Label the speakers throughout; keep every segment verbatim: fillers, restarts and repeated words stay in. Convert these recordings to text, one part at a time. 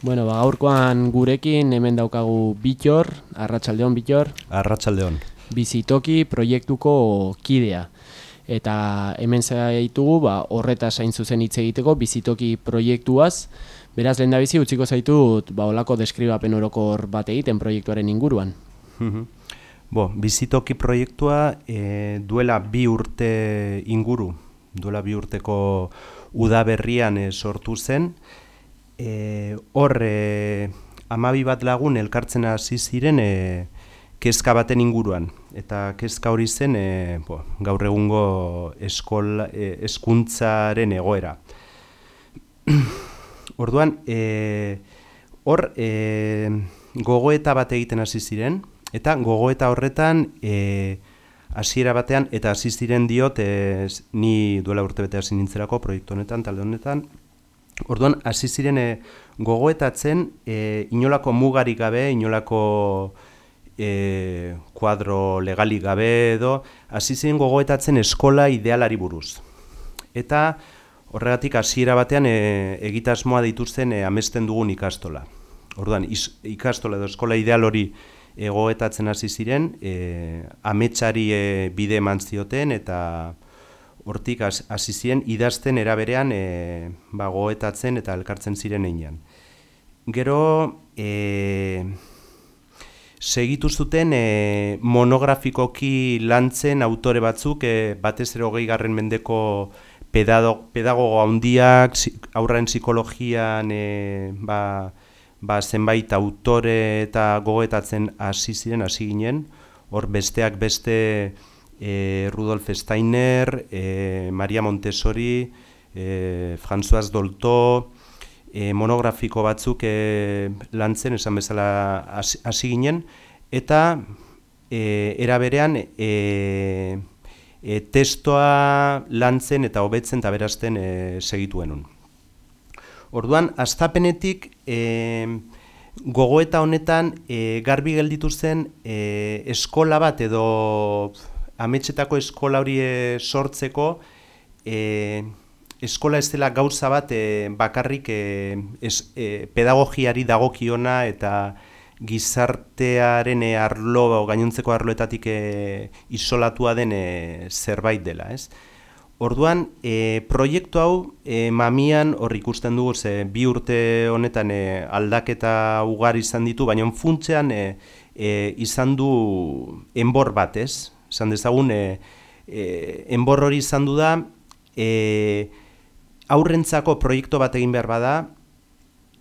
Speaker 1: Bueno, ba, gaurkoan gurekin hemen daukagu Bittor, Arratsaldeon Bittor.
Speaker 2: Arratsaldeon.
Speaker 1: Bizitoki proiektuko kidea. Eta hemen zaitugu, ba, horretaz hain zuzen hitz egiteko bizitoki proiektuaz. Beraz, lehendabizi utziko zaitut, ba, olako deskribapen orokor bat egiten proiektuaren inguruan.
Speaker 2: Bo, bizitoki proiektua e, duela bi urte inguru, duela bi urteko udaberrian e, sortu zen. E, hor, e, amabi bat lagun elkartzen hasi ziren e, kezka baten inguruan. Eta kezka hori zen e, bo, gaur egungo eskola, e, hezkuntzaren egoera. Orduan, e, hor e, gogoeta bat egiten hasi ziren, eta gogoeta horretan e, hasiera batean, eta hasi ziren diot, e, ni duela urtebete hasi nintzerako proiektu honetan, talde honetan. Orduan, hasi ziren e, gogoetatzen e, inolako mugarik gabe, inolako e, kuadro legalik gabe edo, hasi ziren gogoetatzen eskola idealari buruz. Eta horregatik hasiera batean e, egitasmoa dituzten e, amesten dugun ikastola. Orduan, is, ikastola edo eskola ideal hori gogoetatzen hasi ziren, e, ametsari e, bide eman zioten eta hortik hasi ziren idazten eraberean e, ba, gogoetatzen eta elkartzen ziren einean. Gero, e, segitu zuten e, monografikoki lantzen autore batzuk, e, batez ere hogei garren mendeko pedagogo, pedagogo handiak, haurren psikologian e, ba, ba, zenbait autore eta gogoetatzen hasi ziren, hasi ginen. Hor besteak beste e, Rudolf Steiner, e, Maria Montessori, e, François Dolto, e, monografiko batzuk e, lantzen, esan bezala hasi ginen, eta e, era berean e, e, testoa lantzen eta hobetzen eta berazten e, segituenun. Orduan, hastapenetik e, gogoeta honetan e, garbi gelditu zen e, eskola bat edo ametsetako eskola hori e, sortzeko e, eskola ez dela gauza bat e, bakarrik e, es, e, pedagogiari dagokiona eta gizartearen e, arlo, gainontzeko arloetatik e, isolatua den e, zerbait dela, ez? Orduan, e, proiektu hau e, mamian hor ikusten dugu, ze bi urte honetan e, aldaketa ugari izan ditu, baina funtsean e, e, izan du enbor bat, ez? Esan dezagun, e, e, enbor hori izan du da, e, aurrentzako proiektu bat egin behar bada,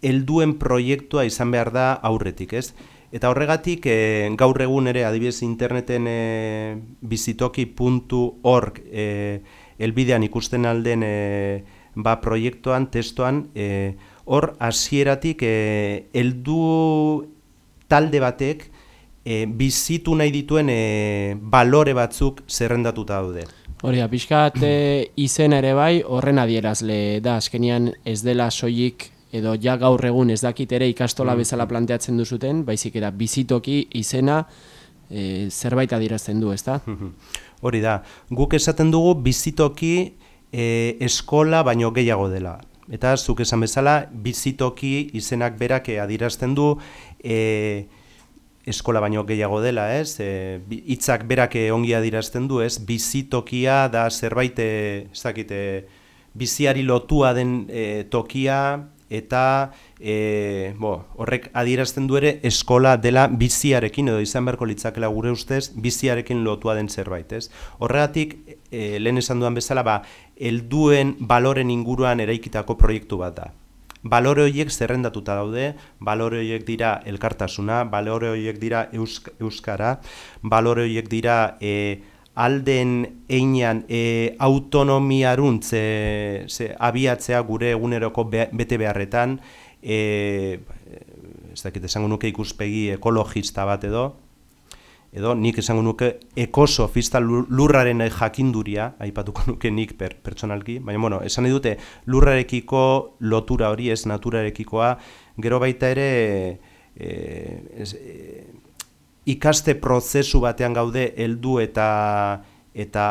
Speaker 2: helduen proiektua izan behar da aurretik, ez? Eta horregatik, e, gaur egun ere, adibidez interneten e, bizitoki puntu org e, elbidean ikusten alden e, ba, proiektuan, testoan, e, hor hasieratik e, heldu talde batek e, bizitu nahi dituen e, balore batzuk zerrendatuta daude.
Speaker 1: Hori da, pixkat e, izena ere bai, horren adierazle da, azkenian ez dela soilik edo ja gaur egun ez dakit ere ikastola bezala planteatzen duzuten, baizik eta bizitoki izena e, zerbait adierazten du, ezta?
Speaker 2: Hori da, guk esaten dugu bizitoki e, eskola baino gehiago dela. Eta zuk esan bezala, bizitoki izenak berak adierazten du e, eskola baino gehiago dela, ez? E, hitzak berak ongi adierazten du, ez? Bizitokia da zerbait, e, ez dakit, e, biziari lotua den e, tokia, eta e, bo, horrek adierazten du ere eskola dela biziarekin, edo izan beharko litzakela gure ustez, biziarekin lotua den zerbait, ez? Horregatik, e, lehen esan duan bezala, ba, helduen baloren inguruan eraikitako proiektu bat da. Balore horiek zerrendatuta daude, balore horiek dira elkartasuna, balore horiek dira eusk, euskara, balore horiek dira e, alden einean e, autonomiaruntz e, ze, abiatzea gure eguneroko be, bete beharretan, e, ez dakit esango nuke ikuspegi ekologista bat edo, edo nik esango nuke ekosofista lurraren jakinduria, aipatuko nuke nik per, pertsonalki, baina bueno, esan nahi dute lurrarekiko lotura hori, ez naturarekikoa, gero baita ere e, ez, e, ikaste prozesu batean gaude heldu eta eta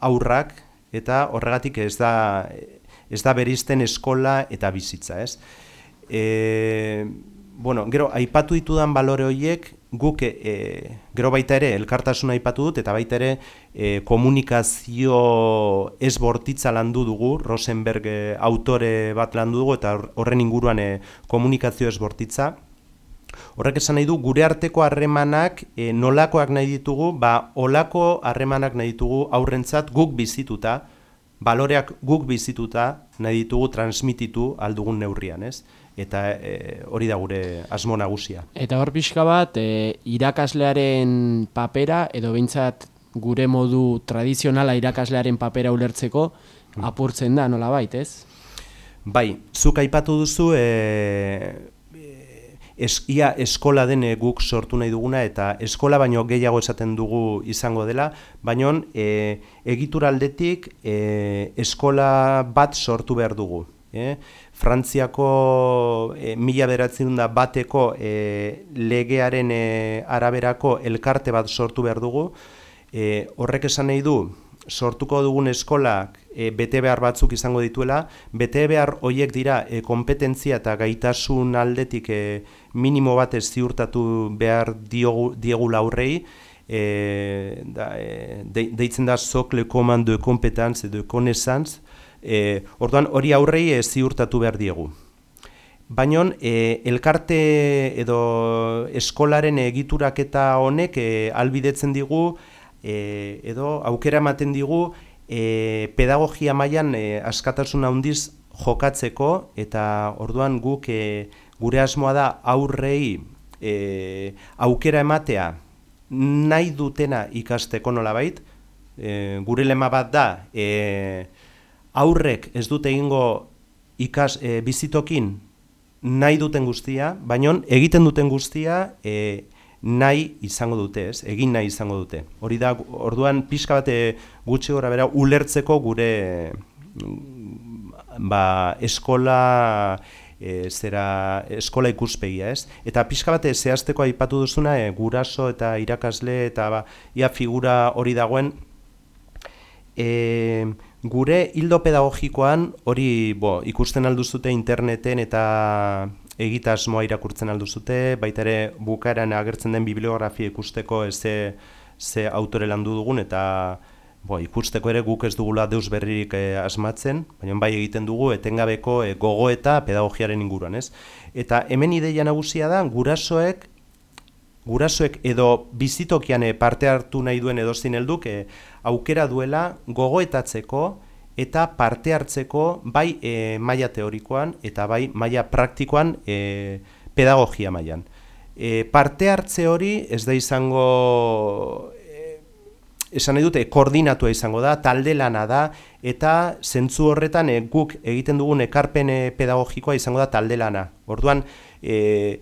Speaker 2: aurrak, eta horregatik ez da ez da bereizten eskola eta bizitza, ez? E, bueno, gero, aipatu ditudan balore horiek, guk e, gero baita ere elkartasuna aipatu dut, eta baita ere e, komunikazio ez bortitza landu dugu, Rosenberg e, autore bat landu dugu, eta horren inguruan e, komunikazio ez bortitza. Horrek esan nahi du, gure arteko harremanak e, nolakoak nahi ditugu, ba, olako harremanak nahi ditugu aurrentzat guk bizituta, baloreak guk bizituta nahi ditugu transmititu aldugun neurrian, ez? Eta e, hori da gure asmo nagusia.
Speaker 1: Eta hor pixka bat, e, irakaslearen papera, edo behintzat gure modu tradizionala irakaslearen papera ulertzeko, apurtzen da, nola bait, ez?
Speaker 2: Bai, zuk aipatu duzu, e, es, ia eskola den guk sortu nahi duguna, eta eskola baino gehiago esaten dugu izango dela, baino e, egitura aldetik e, eskola bat sortu behar dugu. Eh? Frantziako e, mila bederatziehun eta bateko e, legearen e, araberako elkarte bat sortu behar dugu. E, horrek esan nahi du, sortuko dugun eskolak e, bete behar batzuk izango dituela, bete behar horiek dira e, kompetentzia eta gaitasun aldetik e, minimo bat ez ziurtatu behar diogu, diegula aurrei, e, da, e, de, deitzen da socle commun de compétence et de connaissance. E, orduan hori aurrei e, ziurtatu behar diegu. Baina e, elkarte edo eskolaren egituraketa honek e, albidetzen digu e, edo aukera ematen digu e, pedagogia mailan e, askatasun handiz jokatzeko, eta orduan guk e, gure asmoa da aurrei e, aukera ematea nahi dutena ikasteko nolabait. E, gure lema bat da, e, aurrek ez dute egingo ikas e, bizitokin nahi duten guztia, baina egiten duten guztia e, nahi izango dute, ez? Egin nahi izango dute. Hori da, orduan pixka bat gutxi gora bera ulertzeko gure ba, eskola e, zera eskola ikuspegia, ez? Eta pixka bat zehazteko aipatu duzuna e, guraso eta irakasle eta ba, ia figura hori dagoen. E, Gure hildo pedagogikoan hori bo, ikusten alduzute interneten eta egitasmoa irakurtzen alduzute, baita ere bukaeran agertzen den bibliografia ikusteko ze, ze autore landu dugun, eta bo, ikusteko ere guk ez dugula deus berririk eh, asmatzen, baina bai egiten dugu etengabeko eh, gogoeta pedagogiaren inguruan, ez? Eta hemen ideia nagusia da gurasoek Gurasoek edo bizitokian parte hartu nahi duen edozein helduk e, aukera duela gogoetatzeko eta parte hartzeko bai e, maila teorikoan eta bai maila praktikoan e, pedagogia mailan. E, parte hartze hori ez da izango, e, esan nahi dute, koordinatua izango da, talde lana da, eta zentzu horretan e, guk egiten dugun ekarpen e, pedagogikoa izango da talde lana. Orduan, e,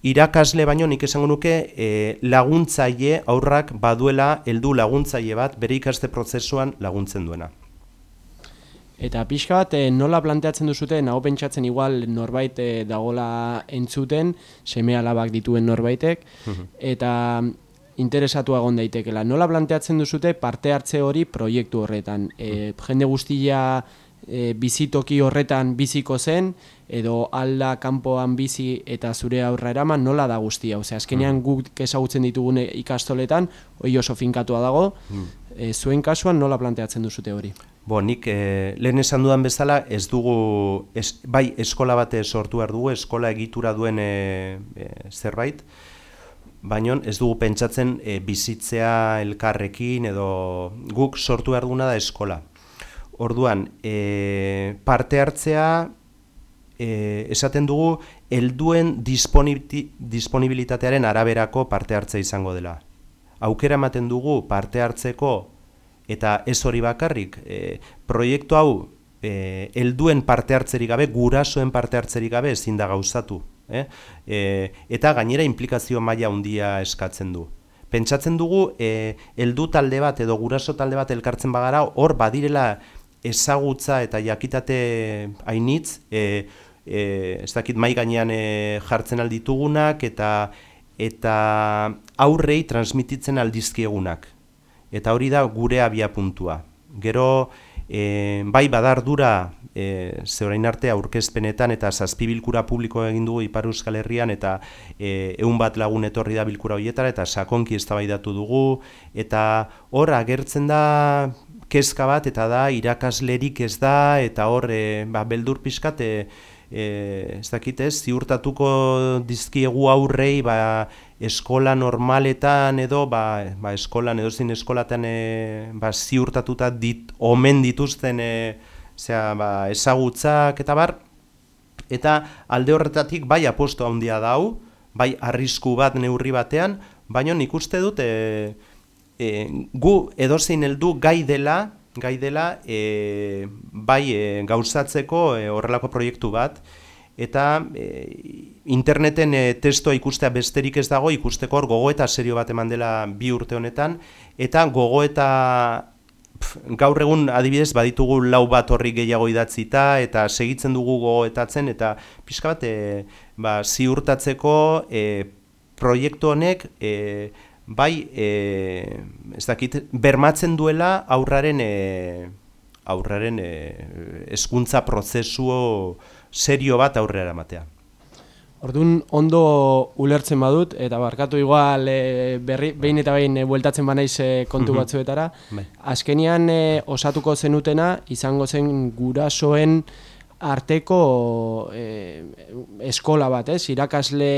Speaker 2: irakasle baino nik esango nuke e, laguntzaile aurrak baduela heldu laguntzaile bat bere ikaste prozesuan laguntzen duena.
Speaker 1: Eta pixka bat nola planteatzen duzute, nago pentsatzen igual norbait e, dagola entzuten, seme alabak dituen norbaitek, eta interesatua egon daitekela. Nola planteatzen duzute parte hartze hori proiektu horretan? E, jende guztia e, bizitoki horretan biziko zen, edo alda kanpoan bizi eta zure aurra eraman, nola da guztia? Osea, azkenean guk ezagutzen ditugune ikastoletan, hori oso finkatua dago, e, zuen kasuan nola planteatzen duzute hori?
Speaker 2: Bo, nik eh, lehen esan dudan bezala ez dugu, ez, bai eskola bate sortu behar dugu, eskola egitura duen e, e, zerbait, baina ez dugu pentsatzen e, bizitzea elkarrekin edo guk sortu behar duguna da eskola. Orduan, e, parte hartzea, E, esaten dugu helduen disponibilitatearen araberako parte hartza izango dela. Aukera ematen dugu parte hartzeko eta ez hori bakarrik, e, proiektu hau e, helduen parte hartzerik gabe, gurasoen parte hartzerik gabe ezin da gauzatu. Eh? E, eta gainera implikazio maila handia eskatzen du. Pentsatzen dugu e, heldu talde bat edo guraso talde bat elkartzen bagara, hor badirela ezagutza eta jakitate hainitz, e, E, ez dakit mai gainean e, jartzen alditugunak eta eta aurrei transmititzen aldizkiegunak. Eta hori da gure abia puntua. Gero e, bai badardura e, ze orain arte aurkezpenetan eta zazpi bilkura publiko egin dugu Ipar Euskal Herrian eta e, ehun bat lagun etorri da bilkura horietara eta sakonki eztabaidatu dugu eta hor agertzen da kezka bat eta da irakaslerik ez da eta hor e, ba, beldur pixkat e, e, ez dakit ez, ziurtatuko dizkiegu aurrei ba, eskola normaletan edo ba, ba, eskolan edo zin eskolatan e, ba, ziurtatuta dit, omen dituzten e, zera, ba, ezagutzak eta bar, eta alde horretatik bai aposto handia dau, bai arrisku bat neurri batean, baina nik uste dut e, e, gu edozein heldu gai dela, gai dela e, bai e, gauzatzeko e, horrelako proiektu bat, eta e, interneten e, testoa ikustea besterik ez dago, ikusteko hor gogoeta serio bat eman dela bi urte honetan, eta gogoeta gaur egun adibidez baditugu lau bat horri gehiago idatzita eta segitzen dugu gogoetatzen eta pixka bat e, ba, ziurtatzeko e, proiektu honek e, bai e, ez dakit, bermatzen duela aurraren e, aurraren e, hezkuntza prozesu serio bat aurrera ematea.
Speaker 1: Orduan ondo ulertzen badut, eta barkatu igual e, berri, behin eta behin e, bueltatzen banaiz e, kontu batzuetara, azkenian e, osatuko zenutena izango zen gurasoen arteko e, eskola bat, ez? Irakasle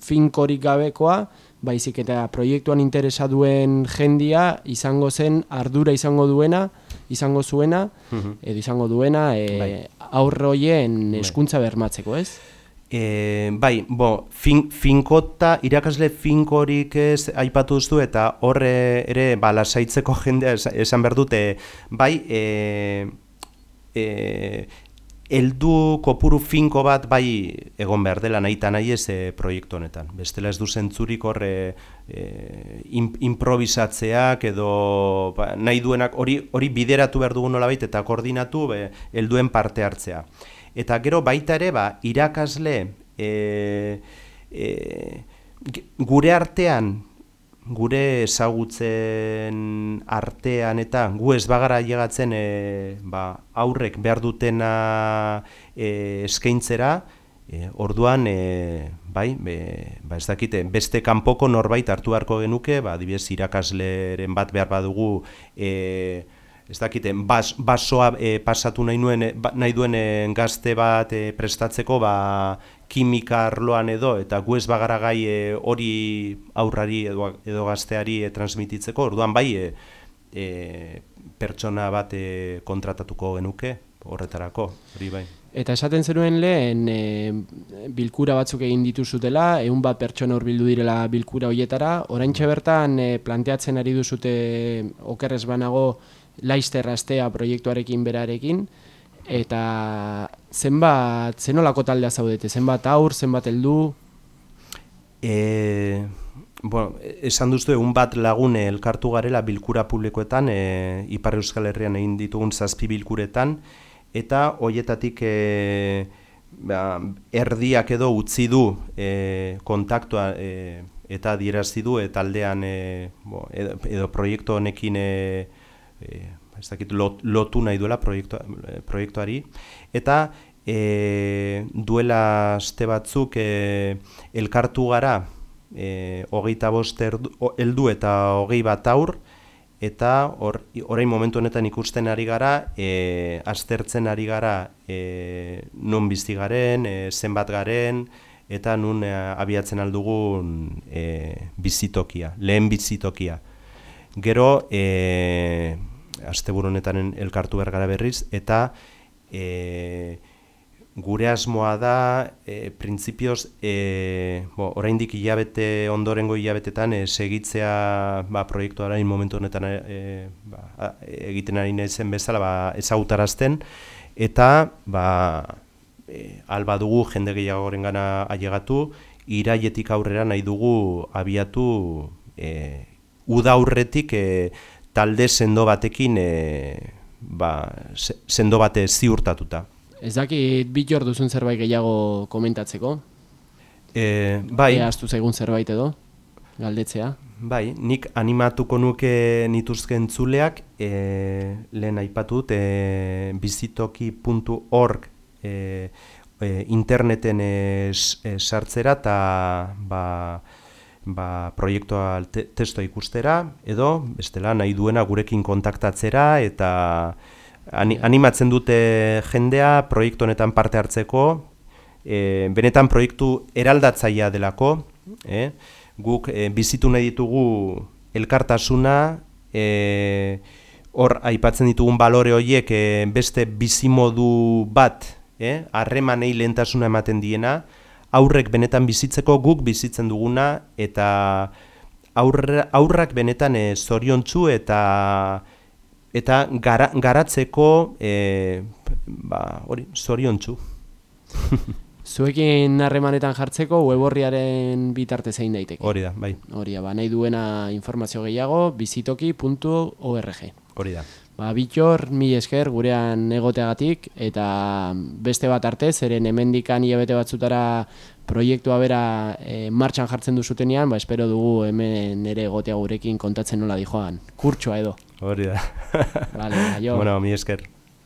Speaker 1: finkorik gabekoa, baizik eta proiektuan interesa duen jendia izango zen ardura izango duena, izango zuena, edo izango duena e, aurroien hezkuntza bermatzeko, ez?
Speaker 2: E, bai, bo, fin, finkota, irakasle finkorik ez aipatu duzu eta horre ere ba, lasaitzeko jendea esan behar dute, bai, e, e, heldu kopuru finko bat bai egon behar dela nahi eta nahi ez e, proiektu honetan. Bestela ez du zentzurik horre e, improvisatzeak edo ba, nahi duenak hori, hori bideratu behar dugu nolabait eta koordinatu be, helduen parte hartzea. Eta gero baita ere, ba, irakasle e, e, gure artean, gure ezagutzen artean eta gu ez bagara llegatzen e, ba, aurrek behar dutena e, eskaintzera, e, orduan, e, bai, be, ba, ez dakite, beste kanpoko norbait hartu beharko genuke, ba, adibidez irakasleren bat behar badugu, e, ez dakite, bas, basoa e, pasatu nahi, nuen, ba, nahi duen e, gazte bat e, prestatzeko ba, kimika arloan edo, eta gu ez bagara gai hori e, aurrari edo, edo gazteari e, transmititzeko, orduan bai e, e, pertsona bat e, kontratatuko genuke horretarako, hori bai.
Speaker 1: Eta esaten zenuen lehen e, bilkura batzuk egin dituzutela, ehun bat pertsona hurbildu direla bilkura horietara, oraintxe bertan e, planteatzen ari duzute okerrez banago Laster astea proiektuarekin berarekin, eta zenbat, zenolako taldea zaudete, zenbat aur, zenbat heldu?
Speaker 2: E, bueno, esan duztu egun bat lagun elkartu garela bilkura publikoetan, e, Ipar Euskal Herrian egin ditugun zazpi bilkuretan, eta horietatik e, ba, erdiak edo utzi du e, kontaktua e, eta adierazti du e, taldean e, bo, edo, edo proiektu honekin e, E, ez dakit, lot, lotu nahi duela proiektu, proiektuari eta e, duela aste batzuk e, elkartu gara e, hogeita bost heldu eta hogei bat aur eta or, orain momentu honetan ikusten ari gara e, aztertzen ari gara e, nun bizi garen, e, zenbat garen eta nun e, abiatzen aldugun e, bizitokia, lehen bizitokia. Gero, e, asteburu honetan elkartu behar gara berriz, eta e, gure asmoa da, e, printzipioz, e, bo, oraindik hilabete, ondorengo hilabetetan, e, segitzea ba, proiektuaren momentu honetan e, ba, egiten ari naizen bezala ba, ezagutarazten, eta ba, e, alba dugu jende gehiagoren gana ailegatu, iraietik aurrera nahi dugu abiatu e, uda aurretik e, talde sendo batekin e, ba, sendo bate ziurtatuta.
Speaker 1: Ez dakit bitxor duzun zerbait gehiago komentatzeko?
Speaker 2: E, bai.
Speaker 1: Ea astu zaigun zerbait edo? galdetzea.
Speaker 2: Bai, nik animatuko nuke nituzken entzuleak, e, lehen aipatut, e, bizitoki puntu org e, e, interneten e, sartzera eta ba, ba, proiektua te, testoa ikustera, edo bestela nahi duena gurekin kontaktatzera eta ani, animatzen dute jendea proiektu honetan parte hartzeko, e, benetan proiektu eraldatzailea delako, eh? Guk e, bizitu nahi ditugu elkartasuna, e, hor aipatzen ditugun balore horiek e, beste bizimodu bat, harremanei e, lehentasuna ematen diena, aurrek benetan bizitzeko guk bizitzen duguna, eta aurra, aurrak benetan e, zoriontsu eta eta gara, garatzeko e, ba, hori, zoriontsu.
Speaker 1: Zuekin harremanetan jartzeko web orriaren bitartez egin daiteke.
Speaker 2: Hori da, bai.
Speaker 1: Hori da, ba, nahi duena informazio gehiago, bizitoki puntu org.
Speaker 2: Hori da.
Speaker 1: Ba, Bittor, mi esker gurean egoteagatik, eta beste bat arte, zeren hemendikan hilabete batzutara proiektua bera e, martxan jartzen duzutenean, ba, espero dugu hemen ere egotea gurekin kontatzen nola dijoan. Kurtsoa edo.
Speaker 2: Hori da.
Speaker 1: Vale, aio.
Speaker 2: Bueno, mi esker.